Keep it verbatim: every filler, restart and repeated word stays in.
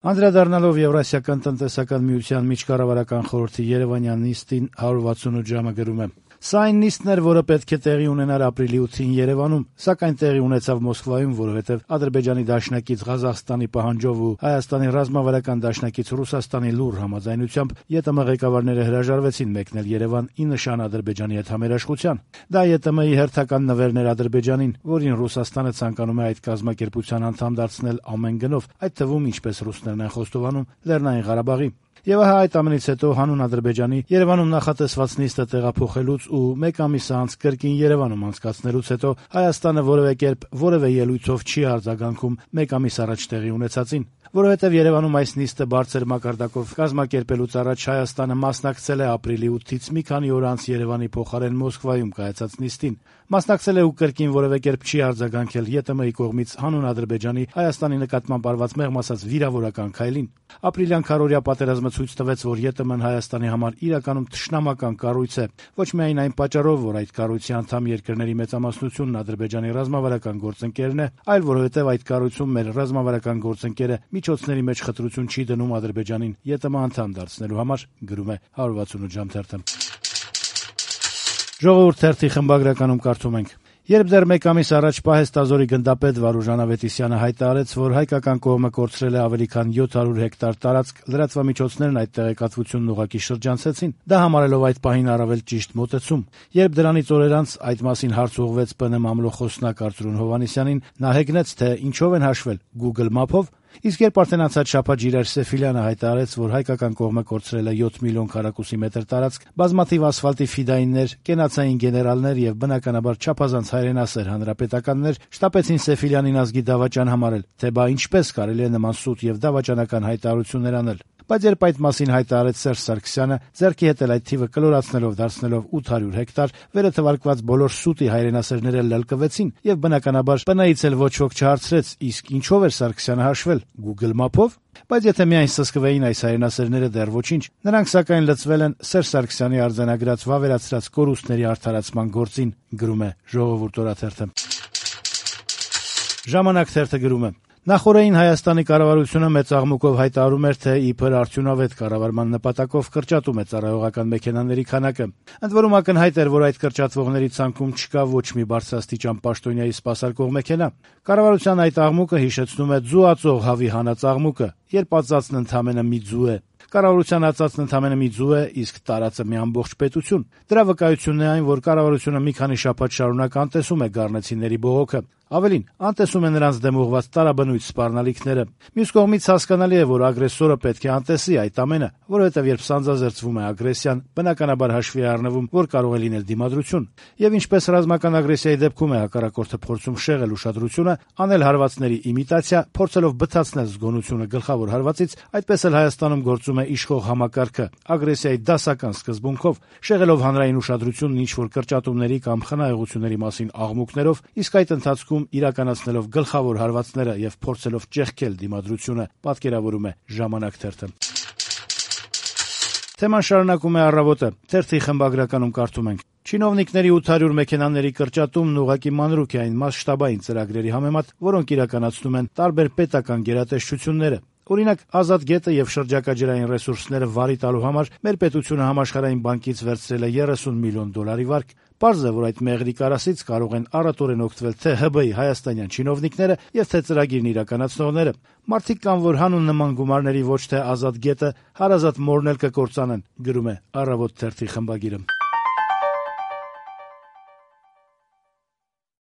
Անդրադառնալով Եվրասիական տնտեսական միության միջկառավարական խորհրդի երևանյան նիստին հարյուր վաթսունութ ժամը գրում է. «Սա այն նիստն էր, որը պետք է տեղի ունենար ապրիլի ութին Երևանում, սակայն տեղի ունեցավ Մոսկվայում, որովհետև Ադրբեջանի դաշնակից Ղազախստանի պահանջով ու Հայաստանի ռազմավարական դաշնակից Ռուսաստանի լուռ համաձայնությամբ ԵՏՄ ղեկավարները հրաժարվեցին մեկնել Երևան ի նշան Ադրբեջանի հետ համերաշխության։ Դա ԵՏՄ-ի հերթական նվերն էր Ադրբեջանին, որին Ռուսաստանը ցանկանում է այդ կազմակերպության անդամ դարձնել ամեն գնով, այդ թվում, ինչպես ռուսներն են խոստովանում, Լեռնային Ղարաբաղի։ Եվ ահա այդ ամենից հետո հանուն Ադրբեջանի Երևանում նախատեսված նիստը տեղափոխելուց ու մեկ ամիս անց կրկին Երևանում անցկացնելուց հետո Հայաստանը որևէ կերպ որևէ ելույթով չի արձագանքում մեկ ամիս առաջ տեղի ունեցածին, որովհետև Երևանում այս նիստը բարձր մակարդակով կազմակերպելուց առաջ Հայաստանը մասնակցել է ապրիլի ութից մի քանի օր անց Երևանի փոխարեն Մոսկվայում կայացած նիստին, մասնակցել է ու կրկին որևէ կերպ չի արձագանքել ԵՏՄ-ի կողմից հանուն Ադրբեջանի Հայաստանի նկատմամբ արված մեղմ ասած վիրավորական քայլին։ Ապրիլյան քարոզիա պատերազմը ցույց տվեց, որ ԵՏՄ-ն Հայաստանի համար իրականում թշնամական կառույց է, ոչ միայն այն պատճառով, որ այդ կառույցի անդամ երկրների մեծամասնությունն Ադրբեջանի ռազմավարական գործընկերն է, այլ որովհետև այդ կառույցում մեր ռազմավարական գործընկերը միջոցների մեջ խտրություն չի դնում Ադրբեջանին ԵՏՄ անդամ դարձնելու համար, գրում է հարյուր վաթսունութ ժամ թերթը։ Ժողովուրդ թերթի խմբագրականում կարդում ենք. Երբ դեռ մեկ ամիս առաջ պահեստազորի գնդապետ Վարուժան Ավետիսյանը հայտարարեց, որ հայկական կողմը կորցրել է ավելի քան յոթ հարյուր հեկտար տարածք, լրատվամիջոցներն այդ տեղեկատվությունն ուղղակի շրջանցեցին, դա համարելով այդ պահին առավել ճիշտ մոտեցում։ Երբ դրանից օրեր անց այդ մասին հարց ուղղվեց ՊՆ մամլո խոսնակ Արծրուն Հովհաննիսյանին, նա հեգնեց, թե ինչով են հաշվել՝ Google Map-ով։ Իսկ երբ արդեն անցած շաբաթ Ժիրայր Սեֆիլյանը հայտարարեց, որ հայկական կողմը կորցրել է յոթ միլիոն քառակուսի մետր տարածք, բազմաթիվ ասֆալտի ֆիդայիններ, կենացային գեներալներ եւ բնականաբար չափազանց հայրենասեր հանրապետականներ շտապեցին Սեֆիլյանին ազգի դավաճան համարել, թե բա ինչպես կարելի է նման սուտ եւ դավաճանական հայտարարություններ անել։ Բայց երբ այդ մասին հայտարարեց Սերժ Սարգսյանը, ձեռքի հետ էլ այդ թիվը կլորացնելով դարձնելով ութ հարյուր հեկտար, վերը թվարկված բոլոր սուտի հայրենասերները լլկվեցին եւ բնականաբար ՊՆ-ից էլ ոչ ոք չհարցրեց, իսկ ինչով էր Սարգսյանը հաշվել՝ Google Map-ով։ Բայց եթե միայն սսկվեին այս հայրենասերները, դեռ ոչինչ, նրանք սակայն լծվել են Սերժ Սարգսյանի արձանագրած վավերացրած կորուստների արդարացման գործին, գրում է Ժողովուրդ օրաթերթը։ Ժամանակ թերթը գրում է. Նախօրեին Հայաստանի կառավարությունը մեծ աղմուկով հայտարարում էր, թե իբր արդյունավետ կառավարման նպատակով կրճատում է ծառայողական մեքենաների քանակը։ Ընդ որում ակնհայտ էր, որ այդ կրճատվողների ցանկում չկա ոչ մի բարձրաստիճան պաշտոնյայի սպասարկող մեքենա։ Կառավարության այդ աղմուկը հիշեցնում է ձուածող հավի հանած աղմուկը, երբ ածածն ընդամենը մի ձու է։ Կառավարության ածածն ընդամենը մի ձու է, իսկ տարածը մի ամբողջ պետություն։ Դրա վկայությունն է այն, որ կառավարությունը մի քանի շաբաթ շարունակ անտեսում է գառնեցիների բողոքը։ Ավելին, անտեսում է նրանց դեմ ուղղված տարաբնույթ սպառնալիքները։ Մյուս կողմից հասկանալի է, որ ագրեսորը պետք է անտեսի այդ ամենը, որովհետև երբ սանձազերծվում է ագրեսիան, բնականաբար հաշվի է առնվում, որ կարող է լինել դիմադրություն։ Եվ ինչպես ռազմական ագրեսիայի դեպքում է հակառակորդը փորձում շեղել ուշադրությունը, անել հարվածների իմիտացիա, փորձելով բթացնել զգոնությունը գլխավոր հարվածից, այդպես էլ Հայաստանում գործում է իշխող համակարգը ագրեսիայի դասական սկզբունքով, շեղելով հանրային ուշադրությունն ինչ-որ կրճատումների կամ խնայողությունների մասին աղմուկներով, իսկ այդ ընթացքում իրականացնելով գլխավոր հարվածները եւ փորձելով ճեղքել դիմադրությունը, պատկերավորում է Ժամանակ թերթը։ Թեման շարունակում է Առավոտը։ Թերթի խմբագրականում կարդում ենք. Չինովնիկների ութ հարյուր մեքենաների կրճատումն ուղղակի մանրուք է այն մասշտաբային ծրագրերի համեմատ, որոնք իրականացնում են տարբեր պետական գերատեսչությունները։ Օրինակ, Ազատ գետը եւ շրջակա ջրային ռեսուրսները վարի տալու համար մեր պետությունը համաշխարհային բանկից վերցրել է երեսուն միլիոն դոլարի վարկ։ Պարզ է, որ այդ մեղրի կարասից կարող են առատորեն օգտվել թե ՀԲ-ի հայաստանյան չինովնիկները եւ թե ծրագիրն իրականացնողները։ Մարդիկ կան, որ հանուն նման գումարների ոչ թե Ազատ գետը, հարազատ մորն էլ կկործանեն, գրում է Առավոտ թերթի խմբագիրը։